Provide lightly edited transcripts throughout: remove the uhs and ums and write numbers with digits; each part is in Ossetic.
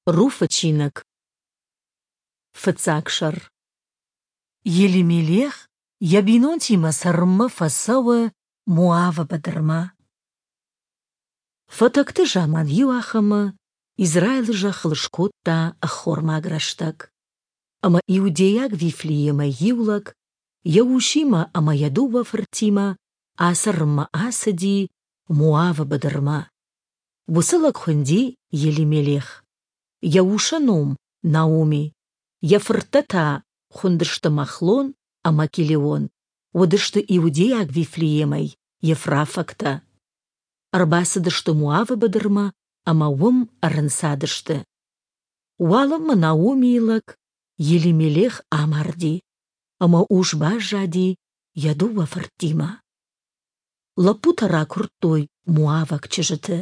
Руфы чиныг. Фыццаг сӕр. Елимелех йӕ бинонтимӕ цӕрынмӕ фӕцӕуы Моавы быдырмӕ. Фӕтӕгты заман иуахӕмы Израилы зӕххыл скодта ӕххормаг рӕстӕг. Ӕмӕ иудейаг Вифлеемӕй иу лӕг йӕ усимӕ ӕмӕ йӕ дыууӕ фыртимӕ ацӕрынмӕ ацыди Моавы быдырмӕ. Уыцы лӕг хуынди Елимелех. Йӕ усы ном — Наоми, йӕ фырттӕ та хуындысты Махлон ӕмӕ Килеон, уыдысты иудейаг Вифлеемӕй ефрафӕгтӕ. Ӕрбацыдысты Моавы быдырмӕ ӕмӕ уым ӕрӕнцадысты. Уалынмӕ Наомийы лӕг Елимелех амарди, ӕмӕ ус баззади йӕ дыууӕ фыртимӕ. Лӕппутӕ ракуырдтой моаваг чызджыты.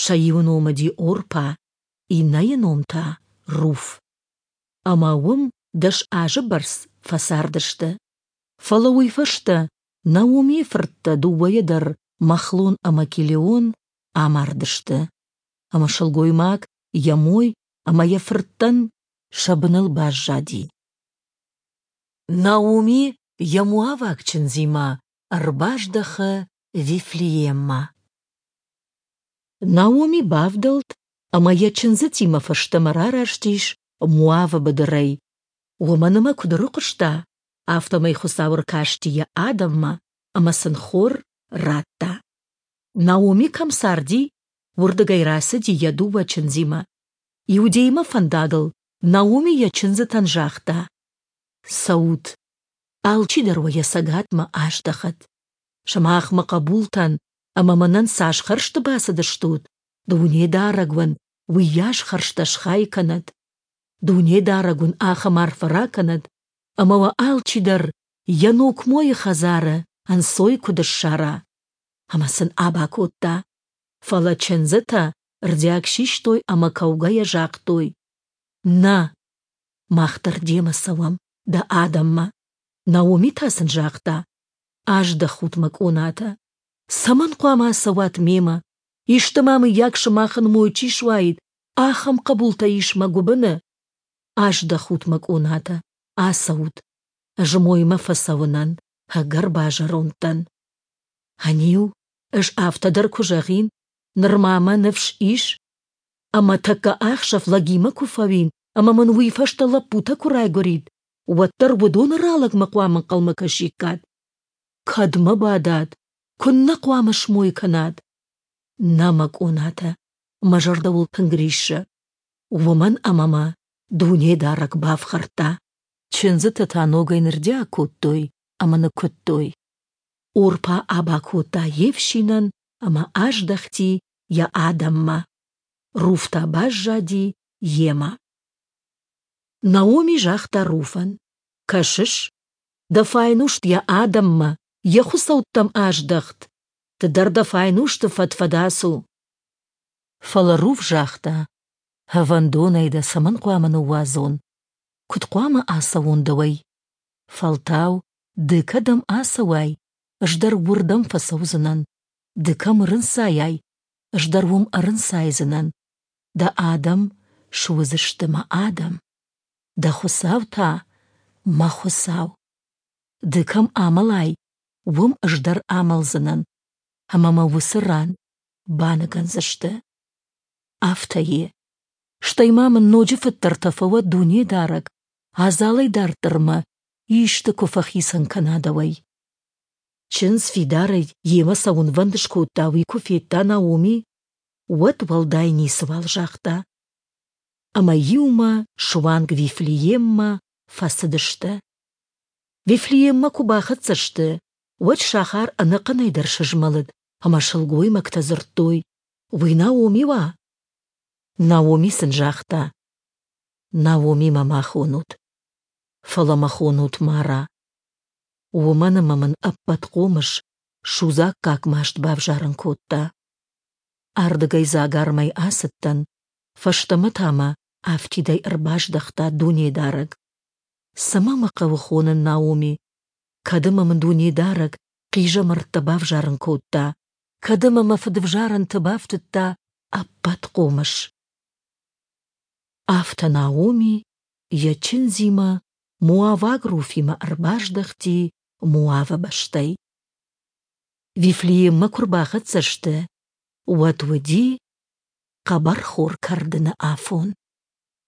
Сӕ иуы ном уыди Орпа, иннӕйы ном та Руф. Ӕмӕ уым 10 азы бӕрц фӕцардысты. Фӕлӕ уый фӕстӕ Наомийы фырттӕ дыууӕйӕ дӕр Махлон ӕмӕ Килеон амардысты. Ӕмӕ сылгоймаг йӕ мой ӕмӕ йӕ фырттӕн сӕ быныл баззади. Наоми йӕ моаваг чындзимӕ ӕрбаздӕхы Вифлееммӕ. Наоми бавдӕлд ӕмӕ йӕ чындзытимӕ фӕстӕмӕ рараст ис Моавы быдырӕй, уымӕн ӕмӕ куыд ӕрыхъуыста, афтӕмӕй Хуыцау ӕркасти йӕ адӕммӕ ӕмӕ сын хор радта. Наоми кӕм царди, уырдыгӕй рацыди йӕ дыууӕ чындзимӕ. Иудеймӕ фӕндагыл Наоми йӕ чындзытӕн загъта: «Цӕут, алчидӕр уӕ йӕ цӕгатмӕ аздӕхӕд. Сымах мӕ хъӕбултӕн ӕмӕ мӕнӕн цас хӕрзты бацыдыстут, Дунедарӕг уын уыйас хӕрзтӕ схай кӕнӕд. Дунедарӕг уын ахӕм арфӕ ракӕнӕд, ӕмӕ уӕ алчидӕр йӕ ног мойы хӕдзары ӕнцой куыд ссара. Ӕмӕ сын аба кодта. Фӕлӕ чындзытӕ рдиаг систой ӕмӕ кӕугӕйӕ загътой: «Нӕ, мах дӕр демӕ цӕуӕм дӕ адӕммӕ». Наоми та сын загъта: «Аздӕхут мӕ къонатӕ. Цӕмӕн хъуамӕ ацӕуат мемӕ? Исты ма мыййаг сымахӕн мой чи суаид, ахӕм хъӕбултӕ ис мӕ гуыбыны? Аздӕхут мӕ къонатӕ, ацӕут. Ӕз моймӕ фӕцӕуынӕн ӕгӕр базӕронд дӕн. Ӕниу, ӕз афтӕ дӕр куы зӕгъин, нырма мӕ ныфс ис, ӕмӕ тӕккӕ ахсӕв лӕгимӕ куы фӕуин ӕмӕ мын уый фӕстӕ лӕппутӕ куы райгуырид, уӕддӕр уыдоны ралӕгмӕ хъуамӕ ӕнхъӕлмӕ кӕсиккат. Кӕдмӕ бадат, куыннӕ хъуамӕ смой кӕнат? Нӕ, мӕ къонатӕ, мӕ зӕрдӕ уыл тынг риссы, уымӕн ӕмӕ мӕ Дунедарӕг бафхӕрдта. Чындзытӕ та ногӕй нырдиаг кодтой ӕмӕ ныккуыдтой. Орпа аба кодта йе фсинӕн ӕмӕ аздӕхти йӕ адӕммӕ. Руф та баззади йемӕ. Наоми загъта Руфӕн: «Кӕсыс, дӕ файнуст йӕ адӕммӕ, йӕ хуыцӕуттӕм аздӕхт, ды дӕр дӕ файнусты фӕд-фӕд ацу». Фӕлӕ Руф загъта: «Ӕвӕндонӕй дӕ цӕмӕн хъуамӕ ныууадзон? Куыд хъуамӕ ацӕуон дӕуӕй? Фӕлтау, ды кӕдӕм ацӕуай, ӕз дӕр уырдӕм фӕцӕудзынӕн. Ды кӕм ӕрынцайай, ӕз дӕр уым ӕрынцайдзынӕн. Дӕ адӕм суыдзысты мӕ адӕм, дӕ Хуыцау та — мӕ Хуыцау. Ды кӕм амӕлай, уым ӕз дӕр амӕлдзынӕн, ӕмӕ мӕ уыцы ран баныгӕндзысты. Афтӕ и. Стӕй ма мын ноджы фыддӕртӕ фӕуӕд Дунедарӕг, адзалӕй дарддӕр мӕ исты куы фӕхицӕн кӕна дӕуӕй. Чындз фидарӕй йемӕ цӕуынвӕнд скодта, уый куы федта Наоми, уӕд уӕлдай ницыуал загъта. Ӕмӕ иумӕ суанг Вифлееммӕ фӕцыдысты. Вифлееммӕ куы бахӕццӕ сты, уӕд сахар ӕнӕхъӕнӕй дӕр сызмӕлыд, ӕмӕ сылгоймӕгтӕ дзырдтой: «Уый Наоми уа?» Наоми сын загъта: «Наоми мӕ ма хонут, фӕлӕ мӕ хонут Мара, уымӕн ӕмӕ мын ӕппӕтхъомыс судзаггаг маст бавзарын кодта. Ардыгӕй дзагармӕй ацыдтӕн, фӕстӕмӕ та мӕ афтидӕй ӕрбаздӕхта Дунедарӕг. Цӕмӕ мӕ хъӕуы хонын Наоми, кӕд ӕмӕ мын Дунедарӕг хъизӕмӕрттӕ бавзарын кодта, кӕд ӕмӕ мӕ фыдвзарӕнты бафтыдта ӕппӕтхъомыс?» Афтӕ Наоми йӕ чындзимӕ, моаваг Руфимӕ ӕрбаздӕхти Моавы бӕстӕй. Вифлееммӕ куы рбахӕццӕ сты, уӕд уыди хъӕбӕрхор кӕрдыны афон.